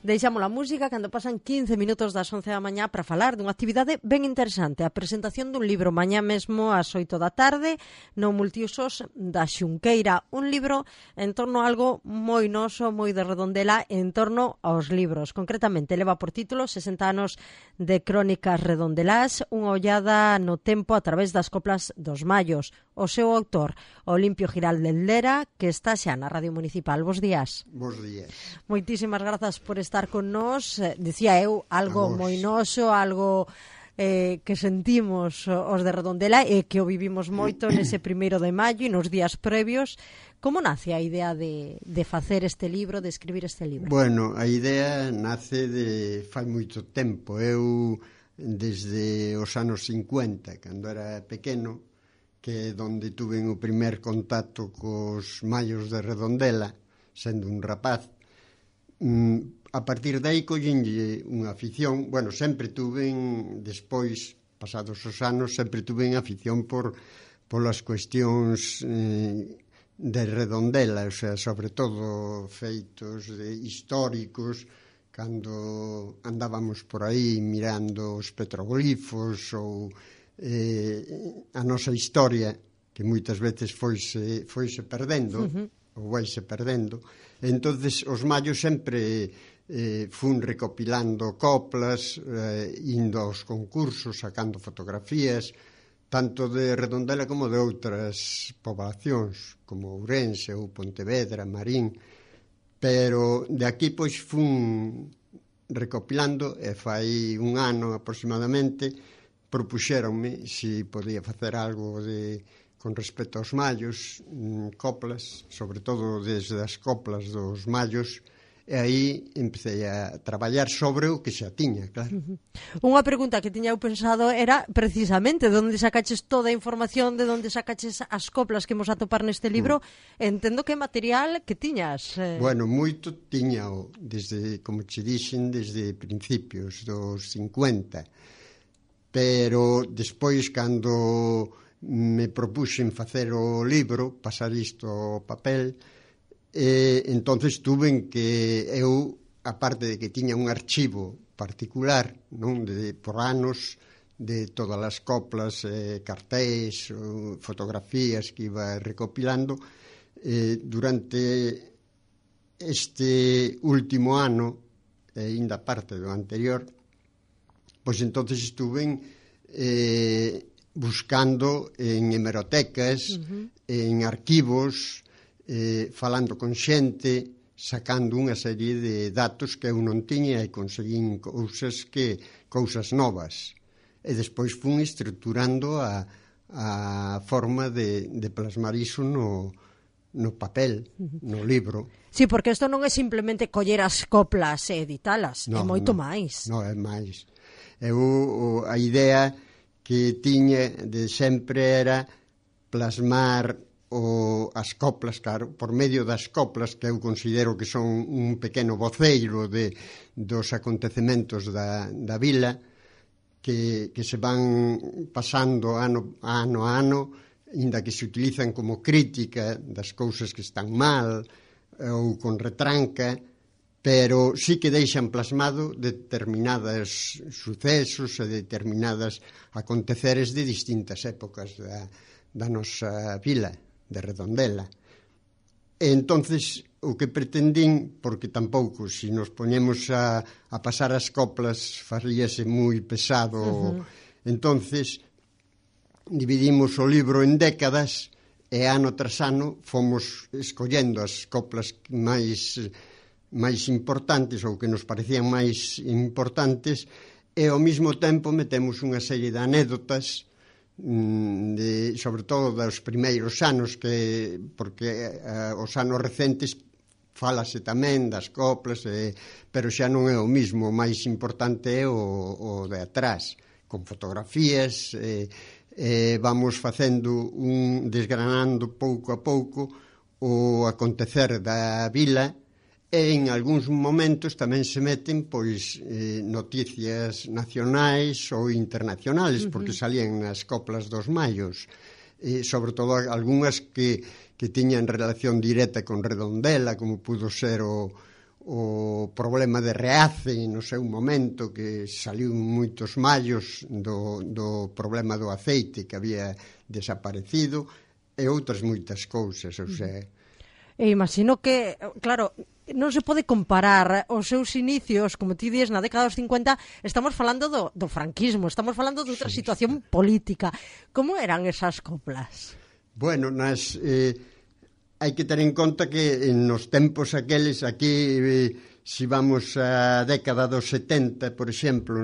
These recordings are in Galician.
Deixamos a música cando pasan 15 minutos das 11 da mañá para falar dunha actividade ben interesante, a presentación dun libro mañá mesmo ás 8 da tarde no Multiusos da Xunqueira, un libro en torno a algo moi noso, moi de Redondela, en torno aos libros. Concretamente, leva por título 60 anos de crónicas redondelás, unha ollada no tempo a través das coplas dos mallos. O seu autor, Olimpio Giralde Lera, que está xa na Radio Municipal. Bos días. Bos días. Moitísimas grazas por estar con nós. Dicía eu, algo moi noso, algo que sentimos os de Redondela e que o vivimos moito nese 1 de maio e nos días previos. Como nace a idea de facer este libro, de escribir este libro? Bueno, a idea nace de fai moito tempo. Eu, desde os anos 50, cando era pequeno, que é onde tuve o primer contacto cos mallos de Redondela, sendo un rapaz, a partir de aí collenlle unha afición. Bueno, sempre tuve, despois, pasados os anos, sempre tuve afición polas cuestións de Redondela, o sea, sobre todo feitos históricos, cando andábamos por aí mirando os petroglifos ou a nosa historia, que moitas veces foise perdendo, ou vaise perdendo. Entonces os mallos sempre fun recopilando coplas, indo aos concursos, sacando fotografías, tanto de Redondela como de outras poblacións, como Ourense ou Pontevedra, Marín. Pero de aquí pois fun recopilando, e fai un ano aproximadamente propuxéronme se podía facer algo con respecto aos mallos, coplas, sobre todo desde as coplas dos mallos, e aí empecé a traballar sobre o que xa tiña, claro. Unha pregunta que tiña eu pensado era precisamente de onde sacaches toda a información, de onde sacaches as coplas que imos atopar neste libro. Entendo que material que tiñas. Bueno, moito tiña, desde, como che dixen, desde principios dos 50. Pero despois, cando me propuxen facer o libro, pasar isto ao papel, entonces tuven que eu, aparte de que tiña un archivo particular, non, por anos, de todas as coplas, cartéis, fotografías que iba recopilando, durante este último ano, ainda parte do anterior, pois entonces estuve buscando en hemerotecas, en arquivos, falando con xente, sacando unha serie de datos que eu non tiña e conseguín cousas novas. E despois fun estruturando a forma de plasmar iso no papel, no libro. Sí, porque isto non é simplemente coller as coplas e editalas, é moito máis. Non, é máis. A idea que tiña de sempre era plasmar as coplas, claro, por medio das coplas, que eu considero que son un pequeno voceiro dos acontecementos da vila, que se van pasando ano a ano, inda que se utilizan como crítica das cousas que están mal ou con retranca, pero sí que deixan plasmado determinados sucesos e determinadas aconteceres de distintas épocas da nosa vila de Redondela. E entonces o que pretendín, porque tampouco se nos poñemos a pasar as coplas faríase moi pesado, entonces dividimos o libro en décadas e ano tras ano fomos escollendo as coplas máis importantes ou que nos parecían máis importantes, e ao mesmo tempo metemos unha serie de anécdotas, sobre todo dos primeiros anos, porque os anos recentes fálase tamén das coplas, pero xa non é o mismo. O máis importante é o de atrás, con fotografías, vamos facendo desgranando pouco a pouco o acontecer da vila. E en algúns momentos tamén se meten noticias nacionais ou internacionais, porque salían nas coplas dos mallos, sobre todo algunhas que tiñan relación directa con Redondela, como pudo ser o o problema de Reace no seu momento, que saliu moitos mallos do problema do aceite que había desaparecido, e outras moitas cousas, ou sea... E imagino que, claro, non se pode comparar os seus inicios, como ti dices, na década dos 50, estamos falando do franquismo, estamos falando de outra situación política. Como eran esas coplas? Bueno, hai que ter en conta que nos tempos aqueles, aquí, se vamos á década dos 70, por exemplo,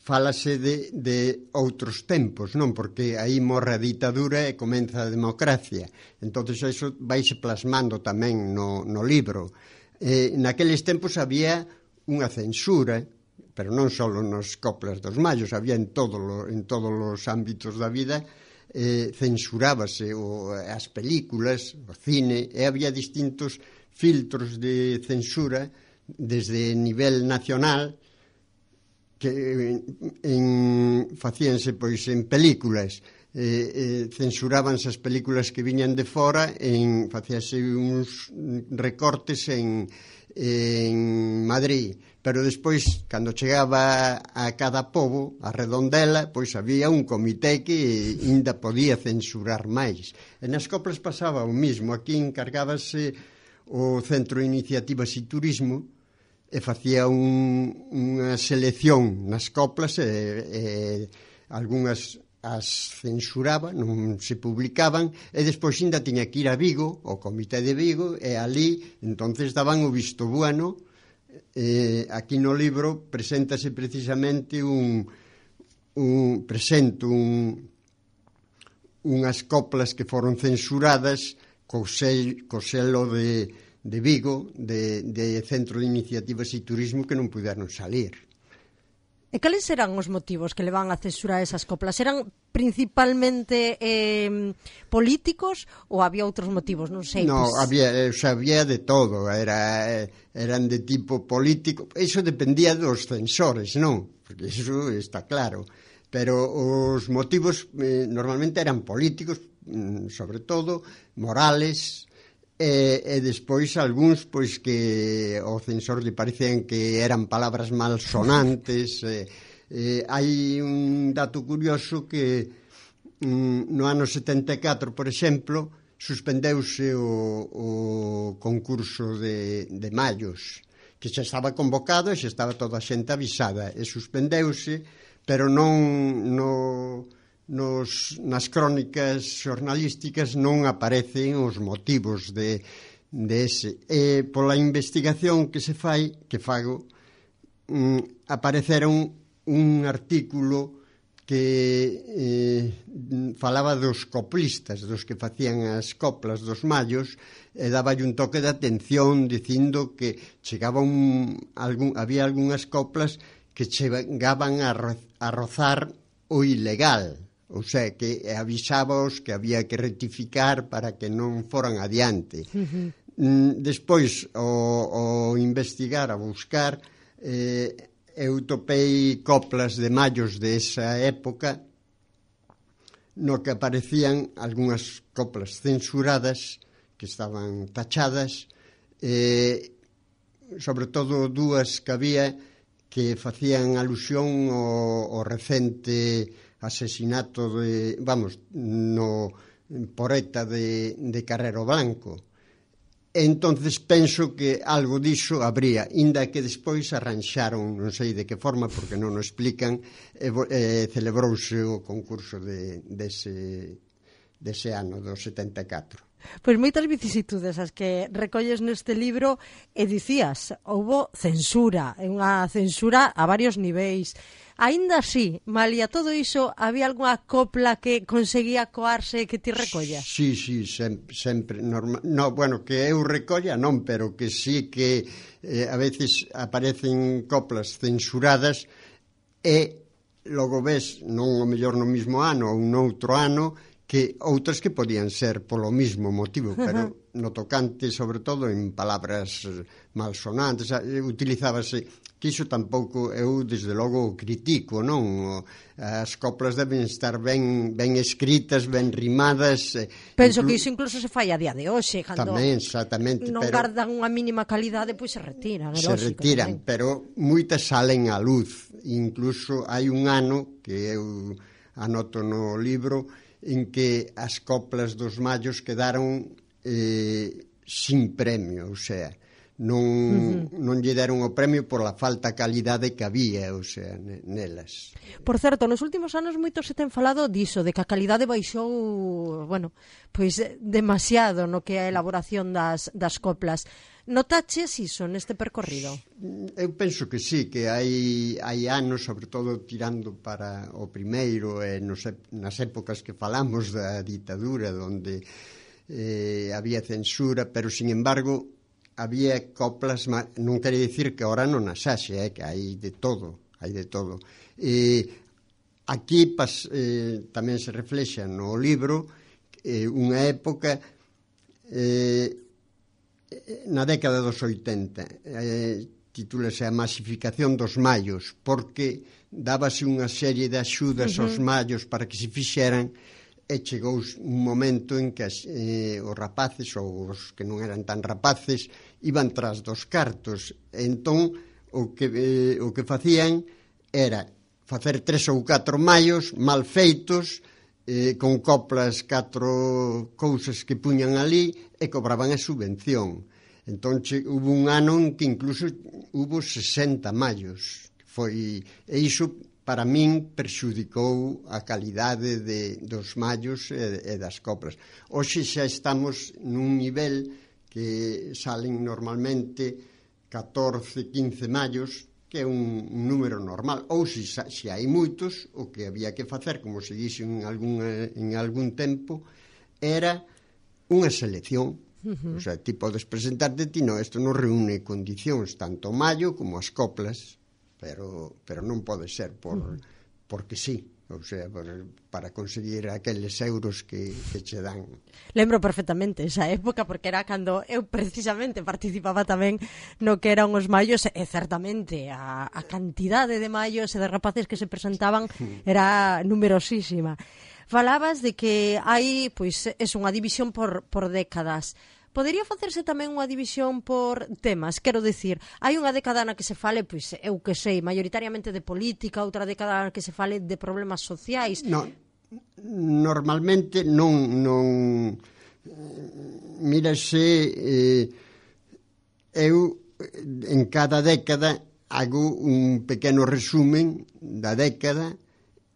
fálase de outros tempos, non? Porque aí morre a ditadura e comeza a democracia. Entonces, eso vaise plasmando tamén no libro. Naqueles tempos había unha censura, pero non só nos coplas dos mallos, había en todos os ámbitos da vida, censurábase as películas, o cine, e había distintos filtros de censura desde nivel nacional, que facíanse pois en películas, censurábanse as películas que viñan de fora, facíase uns recortes en Madrid, pero despois, cando chegaba a cada pobo, a redondela, pois había un comité que ainda podía censurar máis. E nas coplas pasaba o mismo. Aquí encargábase o Centro de Iniciativas e Turismo e facía unha selección nas coplas e algunhas as censuraba, non se publicaban, e despois ainda tiña que ir a Vigo, o Comité de Vigo, e ali entonces daban o visto bueno. Aquí no libro preséntase precisamente unhas coplas que foron censuradas co selo de Vigo, de Centro de Iniciativas e Turismo, que non puderon salir. E cales eran os motivos que levan a censurar esas coplas? Eran principalmente políticos ou había outros motivos? Non sei. No, había de todo. Eran de tipo político. Iso dependía dos censores, non? Porque iso está claro. Pero os motivos normalmente eran políticos, sobre todo, morales, e despois algúns pois que ao censor lle parecían que eran palabras malsonantes. Hai un dato curioso que no ano 74, por exemplo, suspendeuse o concurso de mallos, que xa estaba convocado e xa estaba toda a xente avisada, e suspendeuse, pero non nas crónicas xornalísticas non aparecen os motivos de ese. E pola investigación que fago, apareceron un artículo que falaba dos coplistas, dos que facían as coplas dos mallos, e daballe un toque de atención dicindo que había algunhas coplas que chegaban a rozar o ilegal. O sea, que avisábaos que había que rectificar para que non foran adiante. Despois, ao investigar, a buscar, eu topei coplas de mallos de esa época no que aparecían algunhas coplas censuradas que estaban tachadas, sobre todo dúas que había que facían alusión ao recente asesinato no Poreta de Carrero Blanco. Entonces penso que algo diso habría, inda que despois arranxaron, non sei de que forma, porque non o explican, celebrouse o concurso dese ano, do 74. Pois moitas vicisitudes as que recolles neste libro, e dicías, houbo censura, unha censura a varios niveis. Aínda así, malia todo iso, había algunha copla que conseguía coarse que ti recollas? Sí, sempre. Bueno, que eu recolla non, pero que sí que a veces aparecen coplas censuradas e logo ves, non o mellor no mismo ano ou noutro ano, que outras que podían ser polo mismo motivo, pero no tocante, sobre todo, en palabras malsonantes, utilizábase, que iso tampouco eu, desde logo, critico, non? As coplas deben estar ben escritas, ben rimadas. Penso que iso incluso se fai a día de hoxe, cando tamén, exactamente, non gardan unha mínima calidade, pois se retiran, é lógico. Se retiran, tamén. Pero moitas salen á luz. Incluso hai un ano, que eu anoto no libro, en que as coplas dos mallos quedaron sin premio, o sea, non lle deron o premio pola falta de calidade que había, o sea, nelas. Por certo, nos últimos anos moito se ten falado diso, de que a calidade baixou, bueno, pois demasiado no que é a elaboración das coplas. Notaches iso neste percorrido? Eu penso que sí, que hai anos, sobre todo tirando para o primeiro, nas épocas que falamos da ditadura, onde había censura, pero, sin embargo, había coplas, non quere dicir que ahora non as haxe, que hai de todo, aquí tamén se reflexa no libro unha época na década dos 80, titúlase A masificación dos mallos, porque dábase unha serie de axudas aos mallos para que se fixeran, e chegou un momento en que os rapaces, ou os que non eran tan rapaces, iban tras dos cartos. Entón, o que facían era facer 3 ou 4 mallos mal feitos, con coplas 4 cousas que puñan ali, e cobraban a subvención. Entón, hubo un ano en que incluso hubo 60 mallos. E iso, para min, perxudicou a calidade dos mallos e das coplas. Hoxe xa estamos nun nivel que salen normalmente 14, 15 mallos, que é un número normal. Ou se hai moitos, o que había que facer, como se dixo en algún tempo, era unha selección. O sea, ti podes presentarte, isto non reúne condicións, tanto o mallo como as coplas, pero non pode ser porque sí, o sea, para conseguir aqueles euros que che dan. Lembro perfectamente esa época, porque era cando eu precisamente participaba tamén no que eran os mallos, e certamente a cantidade de mallos e de rapaces que se presentaban era numerosísima. Falabas de que hai, pois, unha división por décadas. Podería facerse tamén unha división por temas? Quero dicir, hai unha década na que se fale, pois, eu que sei, maioritariamente de política, outra década na que se fale de problemas sociais. Normalmente non mírase, eu en cada década hago un pequeno resumen da década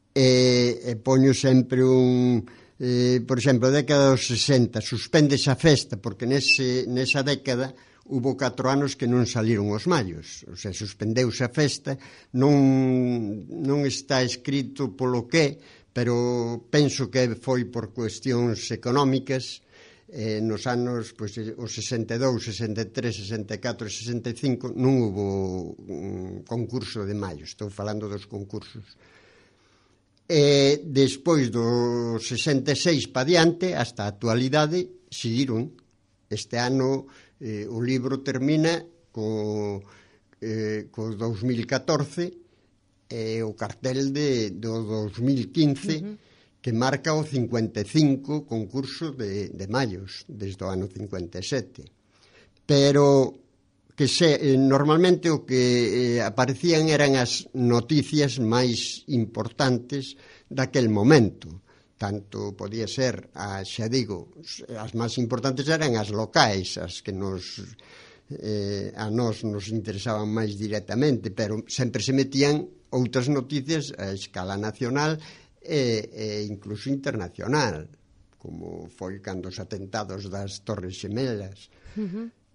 e poño sempre por exemplo, a década dos 60, suspéndese a festa, porque nesa década hubo 4 anos que non saliron os mallos, o sea, suspendeuse a festa, non está escrito polo que, pero penso que foi por cuestións económicas. Nos anos, pois, os 62, 63, 64 e 65 non hubo concurso de mallos, estou falando dos concursos. E despois do 66 pa diante, hasta a actualidade, seguiron. Este ano o libro termina co 2014 e o cartel do 2015 que marca o 55 concurso de mallos desde o ano 57. Pero que normalmente o que aparecían eran as noticias máis importantes daquel momento. Tanto podía ser, xa digo, as máis importantes eran as locais, as que a nós nos interesaban máis directamente, pero sempre se metían outras noticias a escala nacional e incluso internacional, como foi cando os atentados das Torres Xemelas,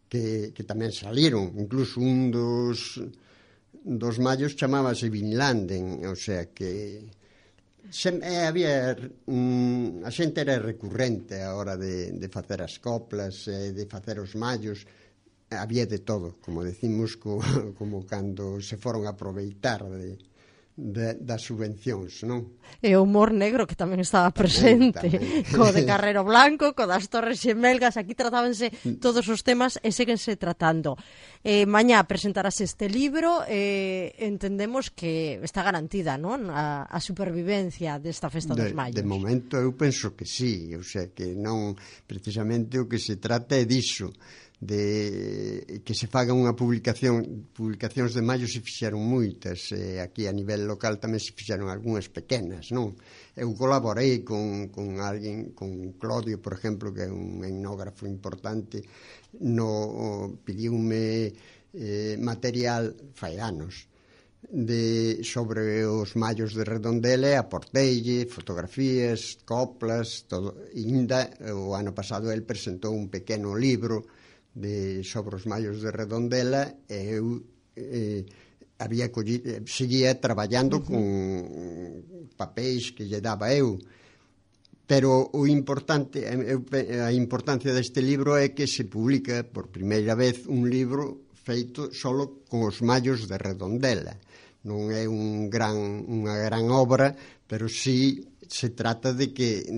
que tamén saliron. Incluso un dos mallos chamábase Bin Laden, o sea que había a xente era recurrente a hora de facer as coplas, de facer os mallos, había de todo, como decimos, como cando se foron a aproveitar das subvencións, non? E o humor negro que tamén estaba presente, tamén. co de Carrero Blanco, co das Torres Xemelgas, aquí tratábanse todos os temas e séguense tratando. Mañá presentarás este libro, entendemos que está garantida, non? A supervivencia desta Festa dos Mallos. De momento eu penso que sí, o sea, que non precisamente o que se trata é diso, de que se faga unha publicacións de maio se fixeron moitas, aquí a nivel local tamén se fixeron algunhas pequenas, non? Eu colaborei con alguén, con Claudio, por exemplo, que é un etnógrafo importante, pediume material fai anos sobre os mallos de Redondela e aporteille fotografías, coplas, todo. E ainda o ano pasado el presentou un pequeno libro sobre os mallos de Redondela e eu seguía traballando con papéis que lle daba eu, pero a importancia deste libro é que se publica por primeira vez un libro feito solo con os mallos de Redondela. Non é unha gran obra, pero sí se trata de que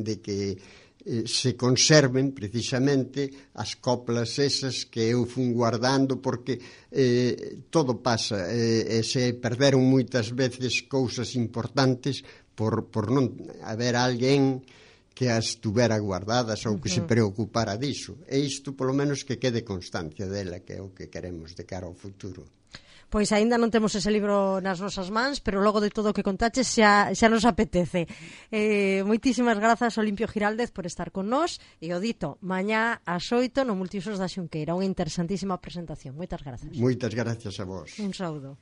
se conserven precisamente as coplas esas que eu fun guardando, porque todo pasa, e se perderon moitas veces cousas importantes por non haber alguén que as tuvera guardadas ou que se preocupara diso. E isto, polo menos, que quede constancia dela, que é o que queremos de cara ao futuro. Pois aínda non temos ese libro nas nosas mans, pero logo de todo o que contaches xa nos apetece. Moitísimas grazas, Olimpio Giraldez, por estar con nós, e o dito, mañá ás 8 no Multiusos da Xunqueira, unha interesantísima presentación. Moitas grazas. Moitas grazas a vos. Un saúdo.